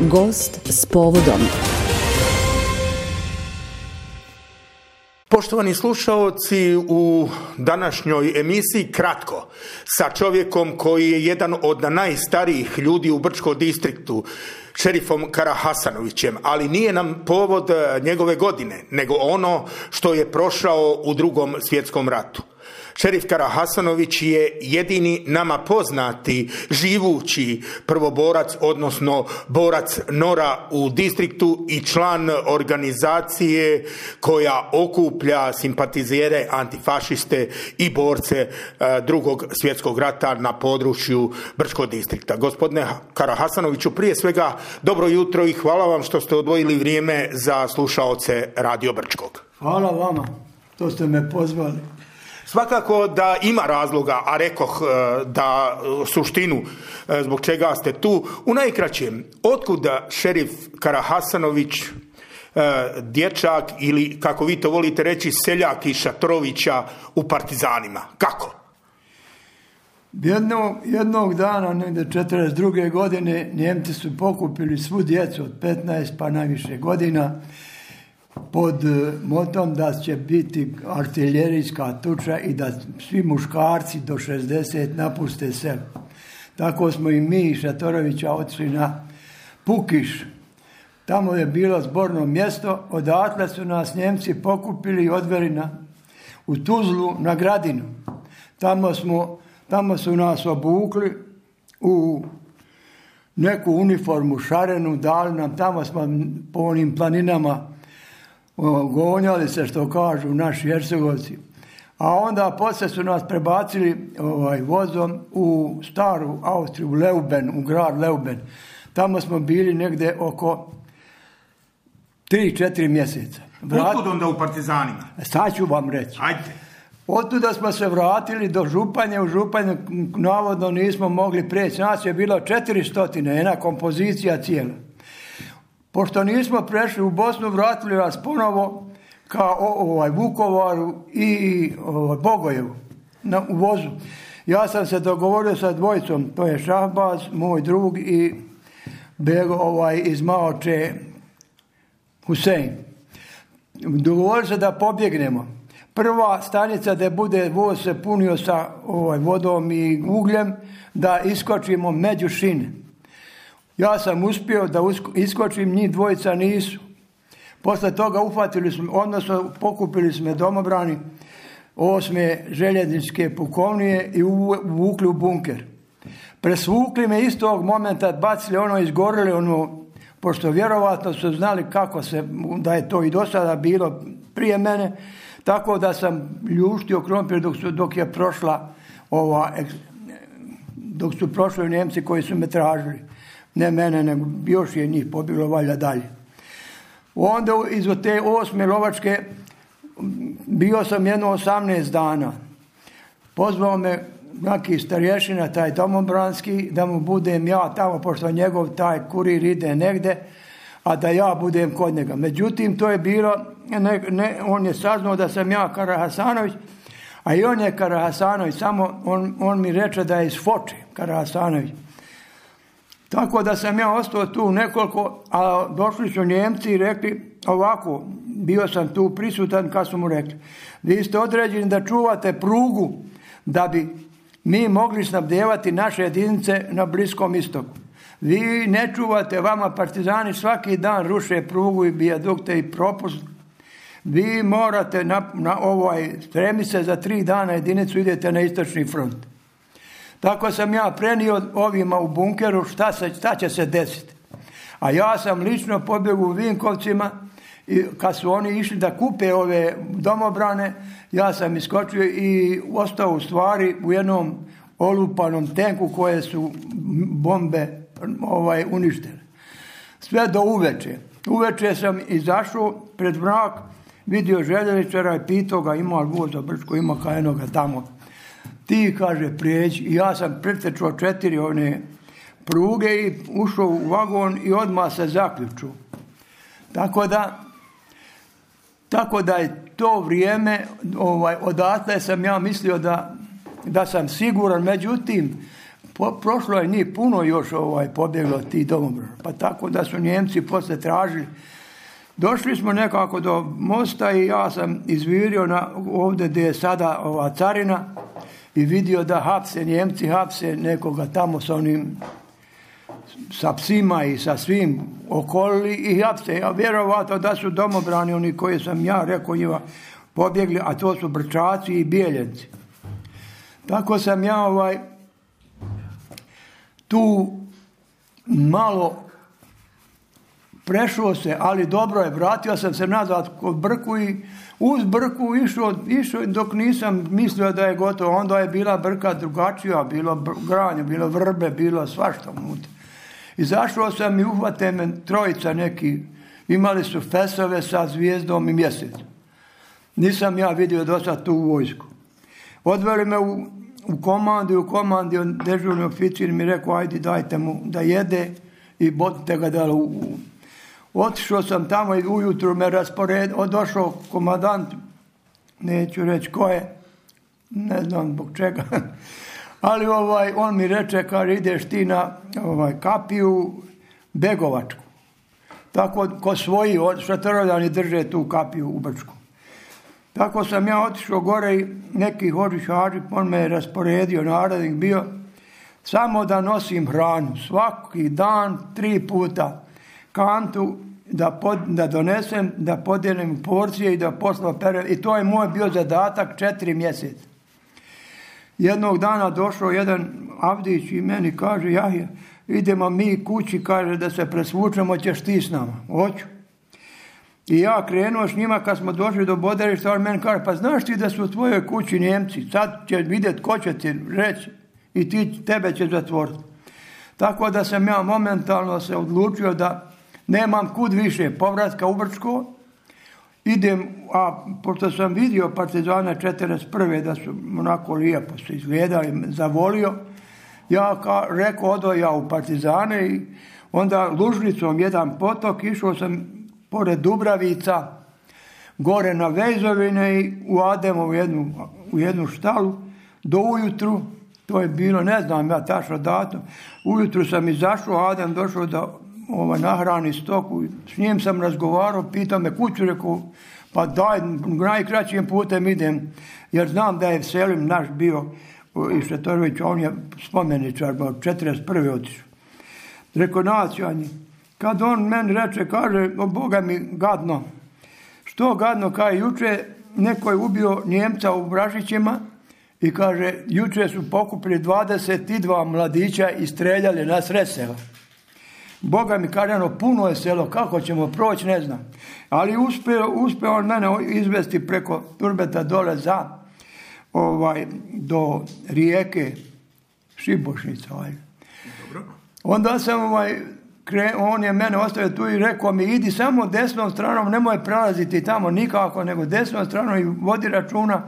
Gost s povodom. Poštovani slušaoci, u današnjoj emisiji kratko sa čovjekom koji je jedan od najstarijih ljudi u Brčkom distriktu, šerifom Karahasanovićem, ali nije nam povod njegove godine, nego ono što je prošao u Drugom svjetskom ratu. Šerif Karahasanović je jedini nama poznati živući prvoborac, odnosno borac NOR-a u distriktu i član organizacije koja okuplja simpatizere, antifašiste i borce Drugog svjetskog rata na području Brčkog distrikta. Gospodine Karahasanoviću, prije svega dobro jutro i hvala vam što ste odvojili vrijeme za slušaoce Radio Brčkog. Hvala vama, to ste me pozvali. Svakako da ima razloga, a rekoh da suštinu zbog čega ste tu. U najkraćem, otkuda šerif Karahasanović, dječak ili kako vi to volite reći seljak iz Šatorovića u partizanima? Kako? Jednog dana, negdje 1942. godine, Njemci su pokupili svu djecu od 15 pa najviše godina pod motom da će biti artiljerijska tuča i da svi muškarci do 60 napuste selo. Tako smo i mi iz Šatorovića otišli na Pukiš. Tamo je bilo zborno mjesto, odatle su nas Njemci pokupili i odveli u Tuzlu na Gradinu. Tamo su nas obukli u neku uniformu šarenu, dali nam, tamo smo po onim planinama gonjali se, što kažu naši Hercegovci. A onda poslije su nas prebacili vozom u staru Austriju, u Leuben, u grad Leuben. Tamo smo bili negdje oko 3-4 mjeseca. Otkud onda u partizanima? Sad ću vam reći. Ajde. Otuda smo se vratili do Županje. U Županju navodno nismo mogli prijeći. Nas je bilo 400, jedna kompozicija cijela. Pošto nismo prešli u Bosnu, vratili nas ponovo ka Vukovaru i Bogojevu u vozu. Ja sam se dogovorio sa dvojicom, to je Šahbaz, moj drug, i Bego iz Maoče Husein. Dogovorili se da pobjegnemo. Prva stanica da bude voz se punio sa vodom i ugljem, da iskočimo među šine. Ja sam uspio da iskočim, njih dvojica nisu. Posle toga uhvatili smo, odnosno pokupili smo domobrani 8. željezničke pukovnije i uvukli u bunker. Presvukli me istog momenta, bacili izgorili pošto vjerovatno su znali kako da je to i do sada bilo prije mene, tako da sam ljuštio krompir dok je prošla dok su prošli Njemci koji su me tražili. Ne mene, nego još je njih pobjeglo valjda dalje. Onda iz te 8. lovačke bio sam jedno 18 dana. Pozvao me neki starješina, taj domobranski, da mu budem ja tamo, pošto njegov taj kurir ide negdje, a da ja budem kod njega. Međutim, to je bilo, on je saznao da sam ja Karahasanović, a i on je Karahasanović, samo on mi reče da je iz Foče Karahasanović. Tako da sam ja ostao tu nekoliko, a došli su Njemci i rekli ovako, bio sam tu prisutan kad su mu rekli, vi ste određeni da čuvate prugu da bi mi mogli snabdevati naše jedinice na Bliskom istoku. Vi ne čuvate, vama partizani svaki dan ruše prugu i vijadukte i propust. Vi morate spremi se za 3 dana jedinicu, idete na istočni front. Tako sam ja prenio ovima u bunkeru šta će se desiti. A ja sam lično pobjegao u Vinkovcima i kad su oni išli da kupe ove domobrane, ja sam iskočio i ostao u stvari u jednom olupanom tenku koje su bombe uništile. Sve do uveče. Uveče sam izašao pred mrak, vidio željezničara i pitao ga ima li voz za Brčko, ima ka jednoga tamo. Ti, kaže, prijeđi. I ja sam pretečao 4 pruge i ušao u vagon i odmah se zaključio. Tako da je to vrijeme, odatle sam ja mislio da sam siguran. Međutim, prošlo je njih puno još pobjeglo tih domobrana. Pa tako da su Njemci poslije tražili. Došli smo nekako do mosta i ja sam izvirio ovdje gdje je sada ova carina i vidio da Njemci hapse nekoga tamo sa psima i sa svim okolili i hapse. Ja vjerovatno da su domobrani oni koji sam ja rekao njima pobjegli, a to su Brčaci i Bijeljenci. Tako sam ja tu malo prešao se, ali dobro je, vratio sam se nazad kod Brku i uz Brku išao dok nisam mislio da je gotovo. Onda je bila Brka drugačija, bilo granje, bilo vrbe, bilo svašta unutra. Izašao sam i uhvate me trojica neki, imali su fesove sa zvijezdom i mjesecom. Nisam ja vidio do sad tu vojsku. Odveli me u komandi dežurni oficir mi rekao, ajde dajte mu da jede i botite ga da otišao sam tamo i ujutru me došao komandant, neću reći ko je, ne znam zbog čega, ali on mi reče, kaže, ideš ti na kapiju Begovačku. Tako ko svoji šatorovljani drže tu kapiju u Brčku. Tako sam ja otišao gore i neki Hađi, on me je rasporedio, narednik bio, samo da nosim hranu. Svaki dan 3 puta kantu da donesem, da podijelim porcije i da posla perem. I to je moj bio zadatak 4 mjeseca. Jednog dana došao jedan Avdić i meni kaže, Jahja, idemo mi kući, kaže da se presvučemo, ćeš ti s nama. Hoću. I ja krenuo s njima, kad smo došli do Boderišta, on meni kaže, pa znaš ti da su u tvojoj kući Njemci, sad će vidjeti ko će ti reći i tebe će zatvoriti. Tako da sam ja momentalno se odlučio da nemam kud više povratka u Brčko, idem, a pošto sam vidio partizane 41. da su onako lijepo se izgledali, zavolio, ja rekao, odo ja u partizane i onda Lužnicom jedan potok, išao sam pored Dubravica, gore na Vejzovine i u Ademu u jednu štalu, do ujutru, to je bilo, ne znam ja tačno datum, ujutru sam izašao, Adem došao da nahrani stoku, s njim sam razgovarao, pitao me kuću, rekao, pa daj, najkraćim putem idem, jer znam da je Selim naš bio, i Šetorović, on je spomeničar, 41. otišao. Rekao, naćanje. Kad on meni reče, kaže, Boga mi gadno. Što gadno, kaže, juče neko je ubio Njemca u Bražićima i kaže, juče su pokupili 22 mladića i streljali na sred sela. Boga mi kaže, puno je selo, kako ćemo proći, ne znam. Ali uspio on mene izvesti preko Turbeta dole do rijeke Šibošnica. Onda sam on je mene ostavio tu i rekao mi, idi samo desnom stranom, nemoj prelaziti tamo nikako, nego desnom stranom i vodi računa,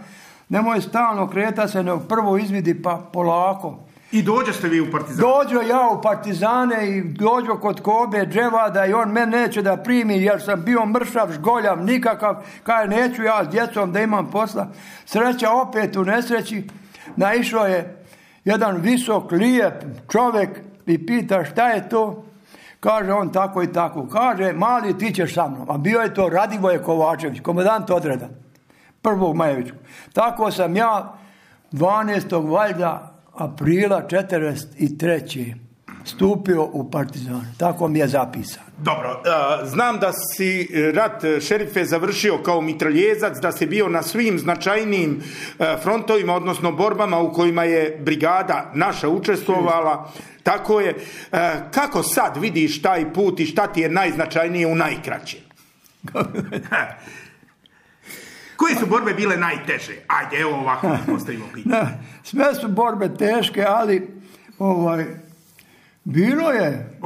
nemoj stalno kretati se, nego prvo izvidi pa polako. I dođe vi u partizane? Dođo ja u partizane i dođo kod Kobe Dževada i on mene neće da primi jer sam bio mršav, žgoljav, nikakav, kaže neću ja s djecom da imam posla. Sreća opet u nesreći, naišao je jedan visok, lijep čovjek i pita šta je to? Kaže on tako i tako. Kaže, mali, ti ćeš sa mnom. A bio je to Radivoje Kovačević, komandant odreda, 1. Majevičku. Tako sam ja 12. valjda aprila 1943. stupio u partizane. Tako mi je zapisano. Dobro, znam da si rat, šerife, završio kao mitraljezac, da si bio na svim značajnijim frontovima, odnosno borbama u kojima je brigada naša učestvovala. Tako je. Kako sad vidiš taj put i šta ti je najznačajnije u najkraćem? Koje su borbe bile najteže? Ajde, evo ovako postavimo pitanje. Sve su borbe teške, ali bilo je.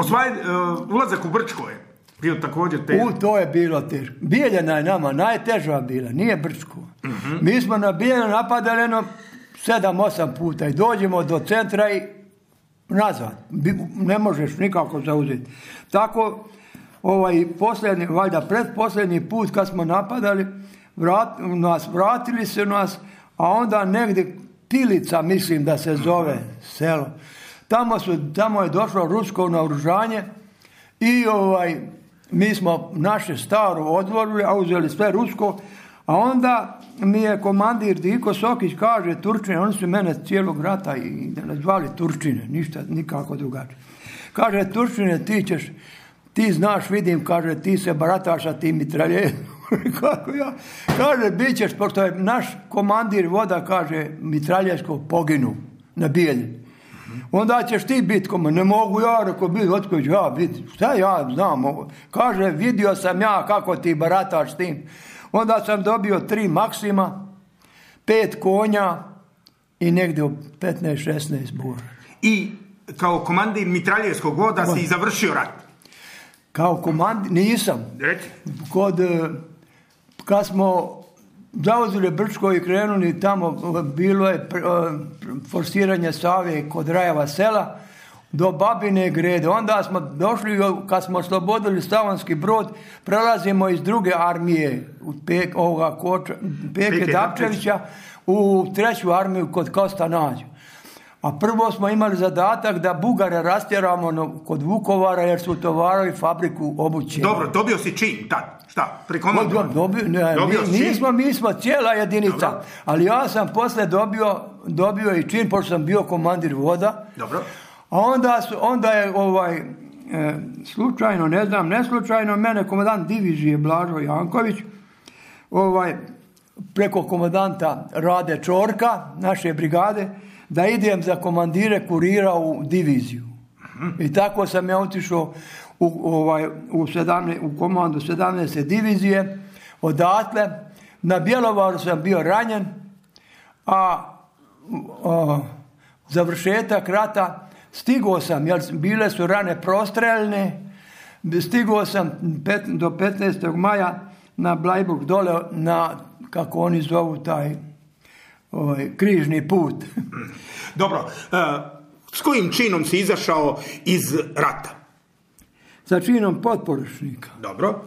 Ulazak u Brčko je bio također teško. To je bilo teško. Bijeljana je nama najteža bila, nije Brčko. Uh-huh. Mi smo na Bijeljanu napadali 7-8 puta i dođemo do centra i nazad. Ne možeš nikako zauzeti. Tako, posljednji, valjda predposljednji put kad smo napadali, vratili se nas, a onda negdje Pilica, mislim da se zove selo. Tamo je došlo rusko naoružanje i mi smo naše staro odvorili, a uzeli sve rusko, a onda mi je komandir Diko Sokić kaže Turčine, oni su mene cijelog rata i nazvali Turčine, ništa, nikako drugačije. Kaže Turčine, ti znaš, vidim, kaže, ti se barataš sa tim mitraljetom. Kako ja? Kaže, bit ćeš, pošto je naš komandir voda, kaže, mitraljesko poginu na Bijelji. Onda ćeš ti biti komandir. Ne mogu ja, rekao, biti, otko ću ja biti. Šta ja znam ovo? Kaže, vidio sam ja kako ti barataš s tim. Onda sam dobio 3 Maksima, 5 konja i negdje 15-16 bura. I kao komandir mitraljevskog voda si završio rat? Kao komandir, nisam. Reci. Kad smo zauzeli Brčko i krenuli tamo, bilo je forsiranje Save kod Rajeva sela do Babine Grede. Onda smo došli, kad smo oslobodili Slavonski Brod, prelazimo iz druge armije Peke Dapčevića u 3. armiju kod Kosta Nađu. A prvo smo imali zadatak da Bugare rastjeramo kod Vukovara jer su utovarali fabriku obuće. Dobro, dobio si čin tad. Šta? Mi smo cijela jedinica. Dobro. Ali ja sam poslije dobio i čin, pošto sam bio komandir voda. Dobro. A onda je slučajno, ne slučajno, mene komandant divizije Blažo Janković preko komandanta Rade Čorka, naše brigade, da idem za komandire kurira u diviziju. I tako sam ja otišao u komandu 17. divizije. Odatle na Bjelovaru sam bio ranjen, a završetak rata stigao sam, jer bile su rane prostreljne, stigao sam do 15. maja na Blajburg dole na, kako oni zovu taj križni put. Dobro, s kojim činom si izašao iz rata? Sa činom potporučnika. Dobro.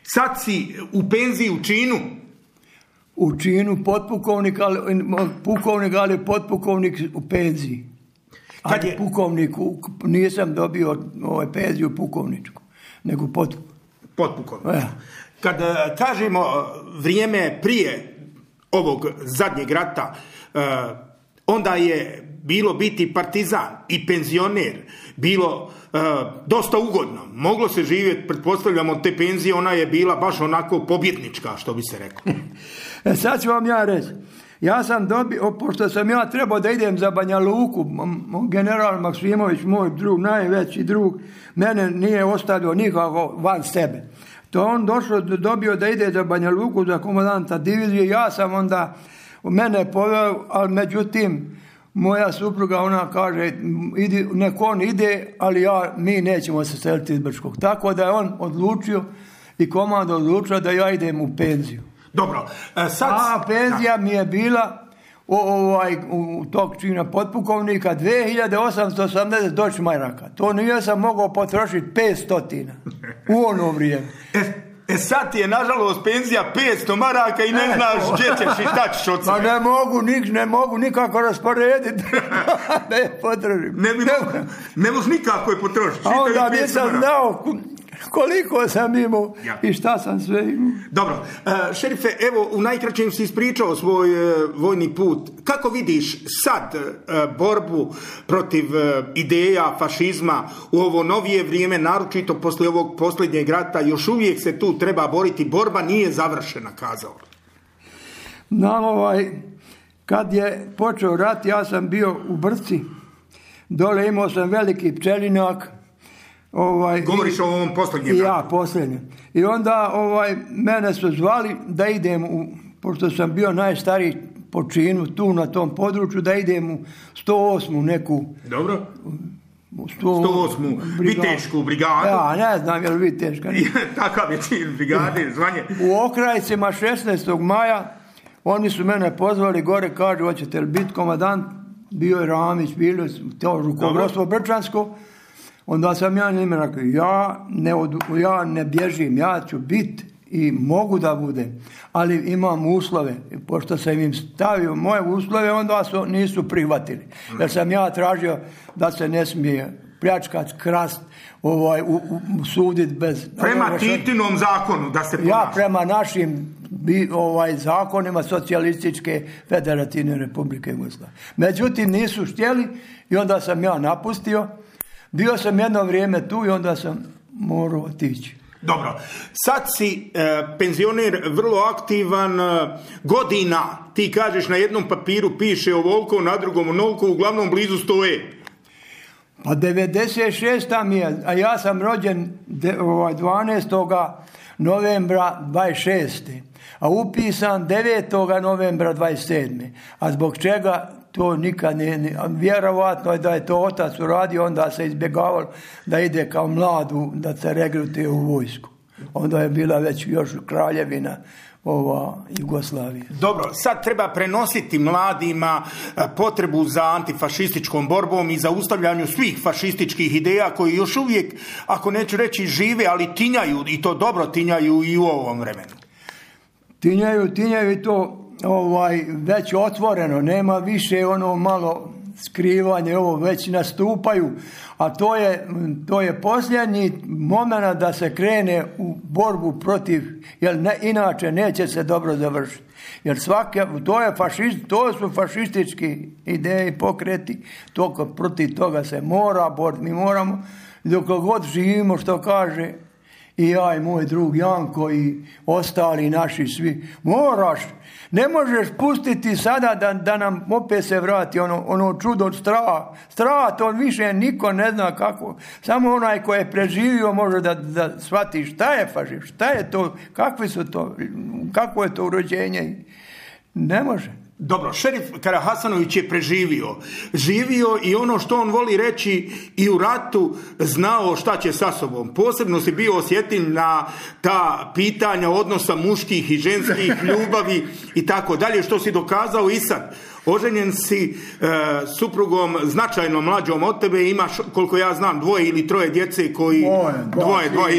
Sad si u penziji u činu? U činu potpukovnik, ali potpukovnik u penziji. Ali pukovniku, nisam dobio penziju pukovničku, nego potpukovniku. Ja. Kad kažemo vrijeme prije ovog zadnjeg rata, onda je bilo biti partizan i penzioner bilo dosta ugodno. Moglo se živjeti, pretpostavljamo, od te penzije, ona je bila baš onako pobjednička, što bi se reklo. Sad ću vam ja reći. Ja sam pošto sam ja trebao da idem za Banja Luku, general Maksimović, moj drug, najveći drug, mene nije ostavio nikako van sebe. To on dobio da ide za Banja Luku, za komandanta divizije, ja sam onda, mene poveo, ali međutim, moja supruga, ona kaže, nek on ide, ali mi nećemo se seliti iz Brčkog. Tako da je on odlučio i komanda odlučila da ja idem u penziju. Dobro, sad... A penzija mi je bila u tog čina potpukovnika 2880 Deutschmaraka. To nije sam mogao potrošiti 500 u ono vrijeme. Sad ti je nažalost penzija 500 maraka i ne znaš gdje ćeš i šta ćeš od sebe. Ne mogu nikako rasporediti da je potrošim. Ne možeš nikako je potrošiti. A onda nisam znao koliko sam imao i šta sam sve imao. Dobro, šerife, evo u najkraćem si ispričao svoj vojni put. Kako vidiš sad borbu protiv ideja fašizma u ovo novije vrijeme, naročito poslije ovog posljednjeg rata? Još uvijek se tu treba boriti, borba nije završena, kazao. Kad je počeo rat, ja sam bio u Brci, dole imao sam veliki pčelinak. Govoriš o ovom posljednjem ratu? Ja, posljednjem. I onda mene su zvali da idem, pošto sam bio najstariji po činu tu na tom području, da idem u 108. neku... Dobro. 108. Vitešku brigadu. Ja, ne znam je li Viteška. Takav je čin brigade, zvanje. U Okrajcima 16. maja oni su mene pozvali gore, kažu, hoćete li biti komandant? Bio je Ramić, bilo je to rukovodstvo Brčansko. Onda sam ja njima rekao, ja ne bježim, ja ću biti i mogu da budem, ali imam uslove. Pošto sam im stavio moje uslove, onda nisu prihvatili. Jer sam ja tražio da se ne smije pljačkat, krast, sudit bez... Prema Titinom zakonu da se ponaša. Ja prema našim zakonima Socijalističke Federativne Republike Jugoslavije. Međutim, nisu htjeli i onda sam ja napustio. Bio sam jedno vrijeme tu i onda sam morao otići. Dobro, sad si penzioner, vrlo aktivan, godina, ti kažeš na jednom papiru piše ovoliko, na drugom onoliko, uglavnom blizu stoje. Pa 96. mi je, a ja sam rođen 12. novembra 26. a upisan 9. novembra 27. A zbog čega to nikad vjerovatno je da je to otac uradio, onda se izbjegavalo da ide kao mladu, da se regrutuje u vojsku. Onda je bila već još kraljevina Jugoslavije. Dobro, sad treba prenositi mladima potrebu za antifašističkom borbom i zaustavljanju svih fašističkih ideja koji još uvijek, ako neću reći žive, ali tinjaju, i to dobro tinjaju i u ovom vremenu. Tinjaju i to već otvoreno, nema više ono malo skrivanje, ovo već nastupaju, a to je posljednji moment da se krene u borbu protiv, jer inače neće se dobro završiti. Jer to su fašistički ideje i pokreti, protiv toga se mora boriti. Mi moramo, dok god živimo, što kaže i ja i moj drug Janko i ostali naši svi, moraš, ne možeš pustiti sada da nam opet se vrati ono čudo strah, to više niko ne zna kako, samo onaj ko je preživio može da shvati šta je fašizam, šta je to, kakvo je to urođenje, ne može. Dobro, šerif Karahasanović je živio i ono što on voli reći i u ratu znao šta će sa sobom. Posebno si bio osjetljiv na ta pitanja odnosa muških i ženskih, ljubavi i tako dalje, što si dokazao i sad. Oženjen si suprugom značajno mlađom od tebe, imaš, koliko ja znam, 2 ili 3 djece koji... Dvoje,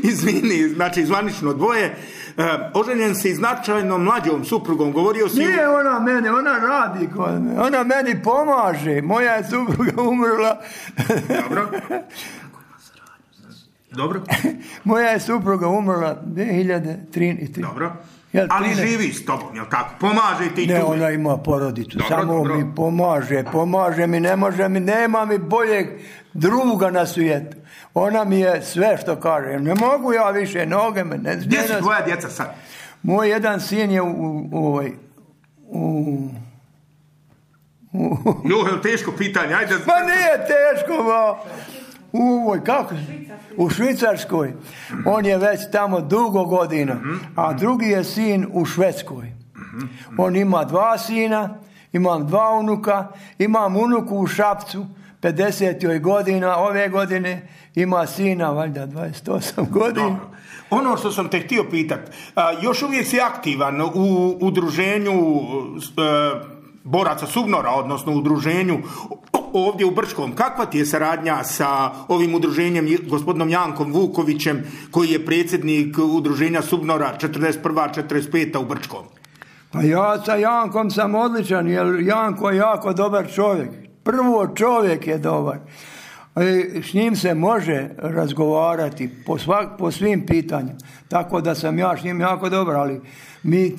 izvini, znači zvanično 2. Oženjen si značajno mlađom suprugom, govorio si... Nije ona mene, ona radi kod me, ona meni pomaže, moja je supruga umrla. Dobro. Moja je supruga umrla 2003. Dobro. Ali živi s tobom, jel tako? Pomaže ti tu? Ne, ona ima porodicu, samo mi pomaže mi, ne može mi, nema mi boljeg druga na svijetu. Ona mi je sve što kaže, ne mogu ja više, noge me ne... Gdje su tvoja djeca sad? Moj jedan sin je Jo, teško pitanje, ajde... Ma nije teško, u Švicarskoj. On je već tamo dugo godina, a drugi je sin u Švedskoj. On ima 2 sina, imam 2 unuka, imam unuku u Šapcu, 50 godina, ove godine ima sina, valjda 28 godina. Dobro. Ono što sam te htio pitati, još uvijek si aktivan u udruženju boraca SUBNOR-a, odnosno udruženju ovdje u Brčkom. Kakva ti je saradnja sa ovim udruženjem, gospodinom Jankom Vukovićem, koji je predsjednik udruženja SUBNOR-a 41-45 u Brčkom? Pa ja sa Jankom sam odličan, jer Janko je jako dobar čovjek. Prvo, čovjek je dobar. S njim se može razgovarati po svim pitanjima. Tako da sam ja s njim jako dobar, ali mi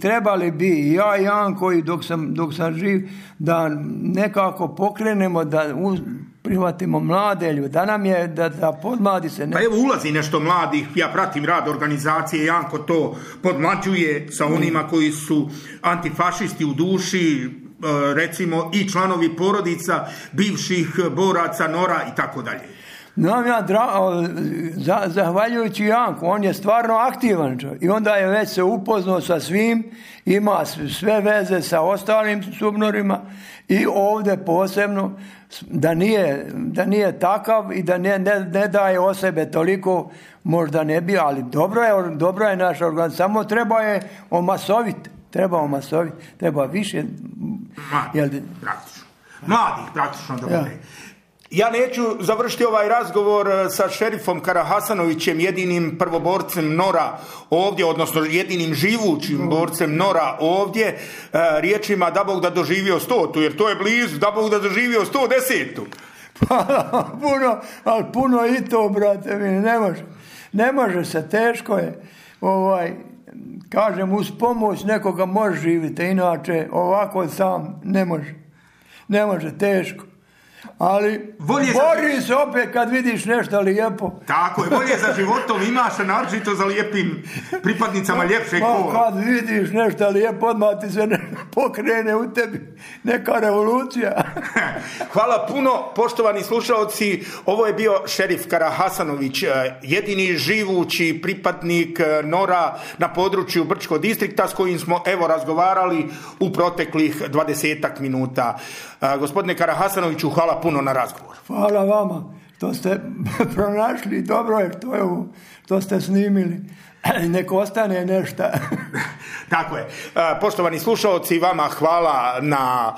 trebali bi ja i Janko i dok sam živ da nekako pokrenemo, da prihvatimo mlade ljude, da nam je da podmladi se. Pa evo ulazi nešto mladih, ja pratim rad organizacije, Janko to podmlađuje sa onima koji su antifašisti u duši, recimo i članovi porodica bivših boraca NOR-a i tako dalje. Zahvaljujući Janku, on je stvarno aktivan čovjek i onda je već se upoznao sa svim, ima sve veze sa ostalim SUBNOR-ima i ovdje posebno da nije takav i da ne daje o sebe toliko, možda ne bi, ali dobro je naša organizacija, samo treba je omasoviti. Treba više mladih praktično da bude. Ja neću završiti ovaj razgovor sa šerifom Karahasanovićem, jedinim prvoborcem Nora ovdje, odnosno jedinim živućim borcem Nora ovdje, riječima da Bog da doživio 100, jer to je blizu, da Bog da doživio 110. Ali puno i to, brate mi, ne može se, teško je. Kažem, uz pomoć nekoga može živjeti, inače ovako sam ne može, teško. Ali bori se opet kad vidiš nešto lijepo. Tako je, bolje za životom imaš, a naročito za lijepim pripadnicama ljepšeg kola. Kad vidiš nešto lijepo, odmah ti se pokrene u tebi neka revolucija. Hvala puno, poštovani slušalci. Ovo je bio šerif Karahasanović, jedini živući pripadnik Nora na području Brčkog distrikta s kojim smo razgovarali u proteklih 20 minuta. Gospodine Karahasanoviću, hvala puno na razgovor. Hvala vama što ste pronašli, dobro je što ste snimili. Nek ostane nešto. Tako je. Poštovani slušalci, vama hvala na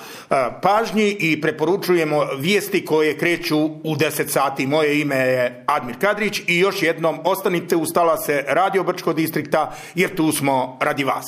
pažnji i preporučujemo vijesti koje kreću u 10 sati. Moje ime je Admir Kadrić i još jednom ostanite uz talase Radio Brčkog distrikta jer tu smo radi vas.